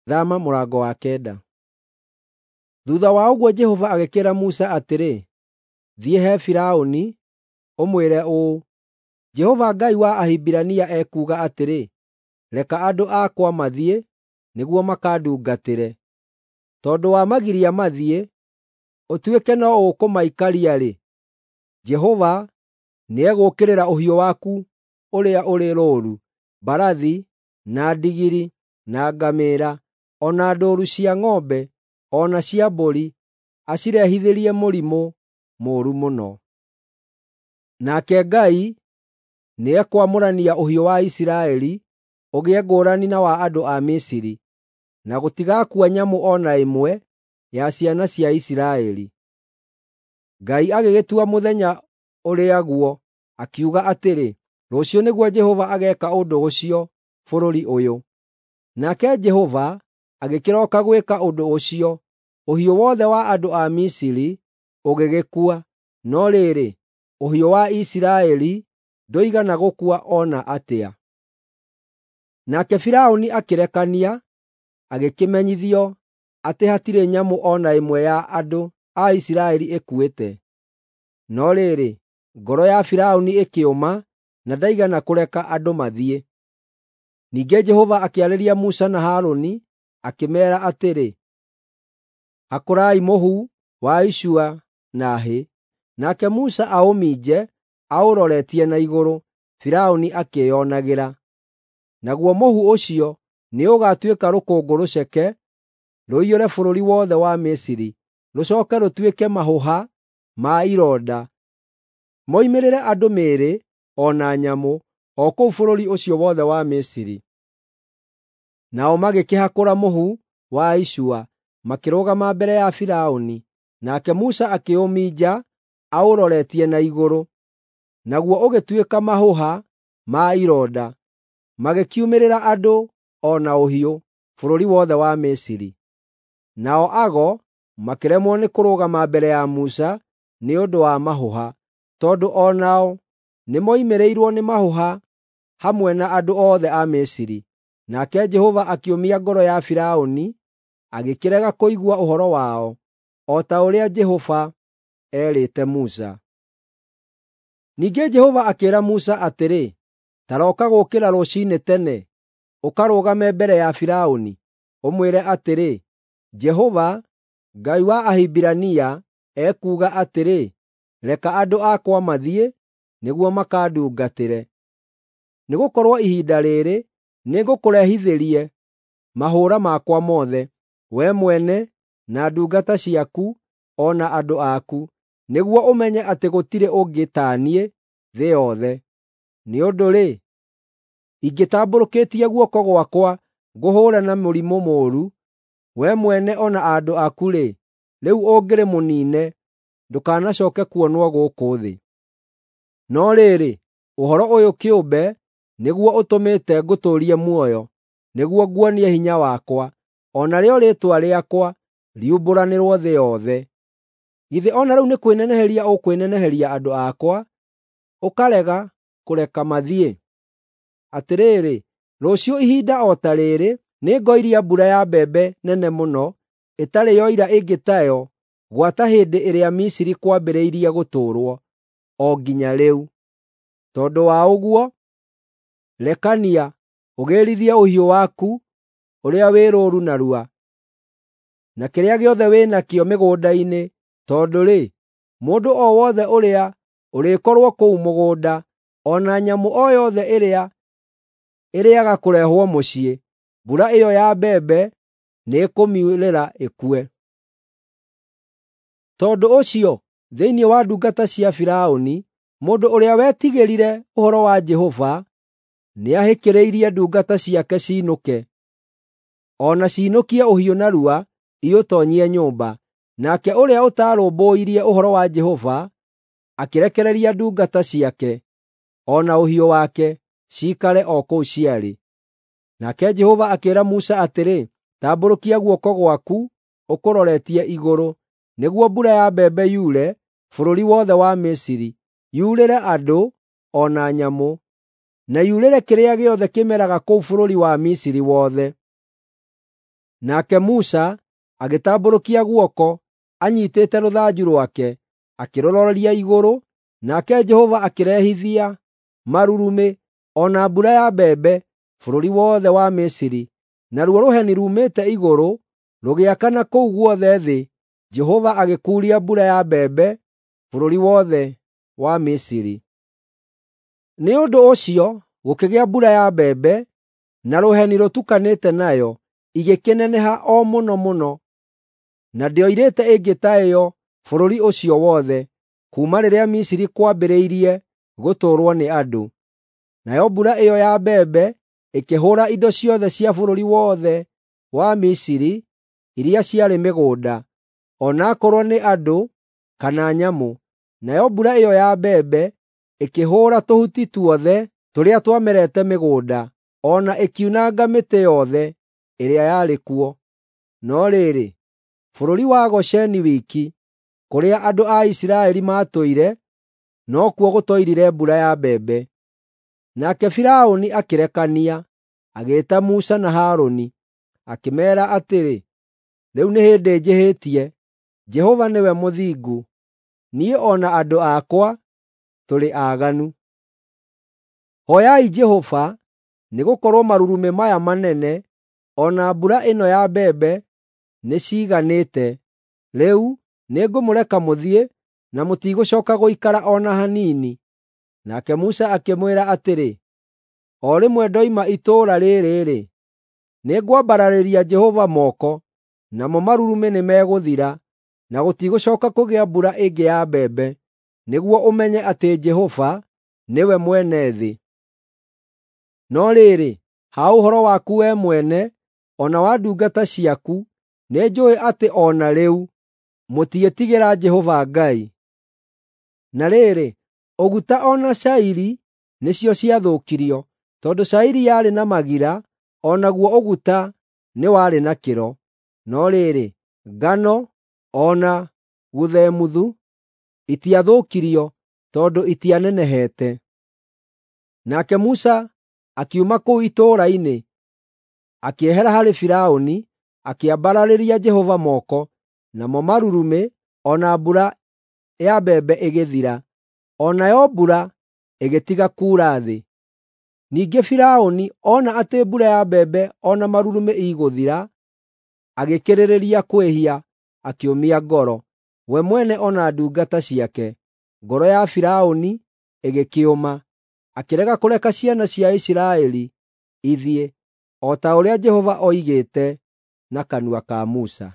Thama mũrango wa kenda. Thuutha wa ũguo Jehova agĩkĩĩra Musa atĩrĩ, “Thiĩ he Firaũni, ũmwĩre ũũ, ‘Jehova Ngai wa Ahibirania ekuuga atĩrĩ, Reka andũ akwa mathiĩ, nĩguo makandungatĩre. Tondũ wamagiria mathiĩ, ũtuĩke no ũkũmaikaria-rĩ, Jehova nĩegũũkĩrĩra ũhiũ waku ũrĩa ũrĩ rũũru, mbarathi, na ndigiri, na ngamĩĩra, o na ndũũru cia ng'ombe, o na cia mbũri, acirehithĩrie mũrimũ mũũru mũno. Nake Ngai nĩekwamũrania ũhiũ wa Isiraeli ũgĩe ngũrani na wa andũ a Misiri, na gũtigakua nyamũ o na ĩmwe ya ciana cia Isiraeli.” Ngai agĩgĩtua mũthenya ũrĩa guo, akiuga atĩrĩ, “Rũciũ nĩguo Jehova ageeka ũndũ ũcio bũrũri ũyũ.” Nake Jehova agĩkĩroka gwĩka ũndũ ũcio, ũhiũ wothe wa andũ a Misiri ũgĩgĩkua, no rĩrĩ, ũhiũ wa Isiraeli ndũigana gũkua o na atĩa. Nake Firaũni akĩrekania, agĩkĩmenyithio atĩ hatirĩ nyamũ o na ĩmwe ya andũ a Isiraeli ĩkuĩte. No rĩrĩ, ngoro ya Firaũni ĩkĩũma na ndaigana kũreka andũ mathiĩ. Ningĩ Jehova akĩarĩria Musa na Harũni, akĩmeera atĩrĩ, “Hakũrai mũhu wa icua na hĩ.” Nake Musa aũminje aũroretie na igũrũ, Firaũni akĩĩonagĩra. Naguo mũhu ũcio nĩũgatuĩka rũkũngũ rũceke, rũiyũre bũrũri wothe wa Misiri, rũcooke rũtuĩke mahũha ma ironda, moimĩrĩre andũ mĩĩrĩ o na nyamũ, o kũu bũrũri ũcio wothe wa Misiri. Nao magĩkĩhakũra mũhu wa icua, makĩrũgama mbere ya Firaũni. Nake Musa akĩũminja aũroretie na igũrũ, naguo ũgĩtuĩka mahũha ma ironda, magĩkiumĩrĩra andũ o na ũhiũ, bũrũri wothe wa Misiri. Nao ago makĩremwo nĩ kũrũgama mbere ya Musa nĩ ũndũ wa mahũha, tondũ o nao nĩmoimĩrĩirwo nĩ mahũha hamwe na andũ othe a Misiri. Nake Jehova akĩũmia ngoro ya Firaũni, agĩkĩrega kũigua ũhoro wao, o ta ũrĩa Jehova eerĩte Musa. Ningĩ Jehova akĩĩra Musa atĩrĩ, “Ta roka gũũkĩra rũciinĩ tene, ũkarũgame mbere ya Firaũni, ũmwĩre atĩrĩ, ‘Jehova, Ngai wa Ahibirania, ekuuga atĩrĩ, Reka andũ akwa mathiĩ, nĩguo makandungatĩre. Nĩgũkorwo ihinda rĩĩrĩ nĩngũkũrehithĩrie mahũũra makwa mothe, wee mwene, na ndungata ciaku, o na andũ aku, nĩguo ũmenye atĩ gũtirĩ ũngĩ ta niĩ thĩ yothe. Nĩ ũndũ-rĩ, ingĩtambũrũkĩtie guoko gwakwa ngũhũũre na mũrimũ mũũru, wee mwene o na andũ aku-rĩ, rĩu ũngĩrĩ mũniine, ndũkanacooke kuonwo gũkũ thĩ. No rĩrĩ, ũhoro ũyũ kĩũmbe nĩguo ũtũmĩte ngũtũũrie muoyo, nĩguo nguonie hinya wakwa, o narĩo rĩĩtwa rĩakwa riumbũranĩrwo thĩ yothe. Githĩ o na rĩu nĩ kwĩneneheria ũkwĩneneheria andũ akwa, ũkarega kũreka mathiĩ? Atĩrĩrĩ, rũciũ ihinda o ta rĩĩrĩ nĩngoiria mbura ya mbembe nene mũno, ĩtarĩ yoira ĩngĩ tayo gwata hĩndĩ ĩrĩa Misiri kwambĩrĩirie gũtũũrwo, o nginya rĩu. Tondũ wa ũguo, rekania, ũgĩrithie ũhiũ waku ũrĩa wĩ rũũru narua, na kĩrĩa gĩothe wĩ nakĩo mĩgũnda-inĩ, tondũ-rĩ, mũndũ o wothe ũrĩa ũrĩkorwo kũu mũgũnda, o na nyamũ o yothe ĩrĩa ĩrĩaga kũrehwo mũciĩ, mbura ĩyo ya mbembe nĩĩkũmiurĩra ĩkue.” Tondũ ũcio, thĩinĩ wa ndungata cia Firaũni, mũndũ ũrĩa wetigĩrire ũhoro wa Jehova nĩahĩkĩrĩirie ndungata ciake ciinũke, o na ciinũkie ũhiũ narua iũtoonyie nyũmba. Nake ũrĩa ũtaarũmbũirie ũhoro wa Jehova akĩrekereria ndungata ciake, o na ũhiũ wake, ciikare o kũu ciarĩ. Nake Jehova akĩĩra Musa atĩrĩ, “Tambũrũkia guoko gwaku ũkũroretie igũrũ, nĩguo mbura ya mbembe yure bũrũri wothe wa Misiri, yurĩre andũ o na nyamũ, na yurĩre kĩrĩa gĩothe kĩmeraga kũu bũrũri wa Misiri wothe.” Nake Musa agĩtambũrũkia guoko anyiitĩte rũthanju rwake, akĩrũroria igũrũ, nake Jehova akĩrehithia marurumĩ o na mbura ya mbembe bũrũri wothe wa Misiri, naruo rũheni ruumĩte igũrũ rũgĩakana kũu guothe thĩ. Jehova agĩkuuria mbura ya mbembe bũrũri wothe wa Misiri. Nĩ ũndũ ũcio gũkĩgĩa mbura ya mbembe na rũheni rũtukanĩte nayo, igĩkĩneneha o mũno mũno, na ndĩoirĩte ĩngĩ ta ĩyo bũrũri ũcio wothe, kuuma rĩrĩa Misiri kwambĩrĩirie gũtũũrwo nĩ andũ. Nayo mbura ĩyo ya mbembe ĩkĩhũũra indo ciothe cia bũrũri wothe wa Misiri iria ciarĩ mĩgũnda, o na akorwo nĩ andũ kana nyamũ. Nayo mbura ĩyo ya mbembe ĩkĩhũũra tũhuti tuothe tũrĩa twamerete mĩgũnda, o na ĩkiunanga mĩtĩ yothe ĩrĩa yarĩ kuo. No rĩrĩ, bũrũri wa Gosheni wiki, kũrĩa andũ a Isiraeli maatũire, nokuo gũtoirire mbura ya mbembe. Nake Firaũni akĩrekania, agĩĩta Musa na Harũni, akĩmeera atĩrĩ, “Rĩu nĩ hĩndĩ njĩhĩtie. Jehova nĩwe mũthingu, niĩ o na andũ akwa tũrĩ aaganu. Hooyai Jehova, nĩgũkorwo marurumĩ maya manene o na mbura ĩno ya mbembe nĩciiganĩte. Rĩu nĩngũmũreka mũthiĩ, na mũtigũcooka gũikara o na hanini.” Nake Musa akĩmwĩra atĩrĩ, “O rĩmwe ndoima itũũra rĩĩrĩ-rĩ, nĩngwambararĩria Jehova moko, namo marurumĩ nĩmegũthira, na gũtigũcooka kũgĩa mbura ĩngĩ ya mbembe, nĩguo ũmenye atĩ Jehova nĩwe mwene thĩ. No rĩrĩ, ha ũhoro waku wee mwene, o na wa ndungata ciaku, nĩnjũũĩ atĩ o na rĩu mũtiĩtigĩra Jehova Ngai.” Na rĩrĩ, ũguta o na cairi nĩcio ciathũkirio, tondũ cairi yarĩ na magira, o naguo ũguta nĩ warĩ na kĩro. No rĩrĩ, ngano o na guthemuthu itiathũkirio tondũ itianenehete. Nake Musa akiuma kũu itũũra-inĩ, akĩehera harĩ Firaũni, akĩambararĩria Jehova moko, namo marurumĩ o na mbura ya mbembe ĩgĩthira, o nayo mbura ĩgĩtiga kuura thĩ. Ningĩ Firaũni ona atĩ mbura ya mbembe o na marurumĩ igũthira, agĩkĩrĩrĩria kwĩhia, akĩũmia ngoro, we mwene o na ndungata ciake. Ngoro ya Firaũni ĩgĩkĩũma, akĩrega kũreka ciana cia Isiraeli ithiĩ, o ta ũrĩa Jehova oigĩte na kanua ka Musa.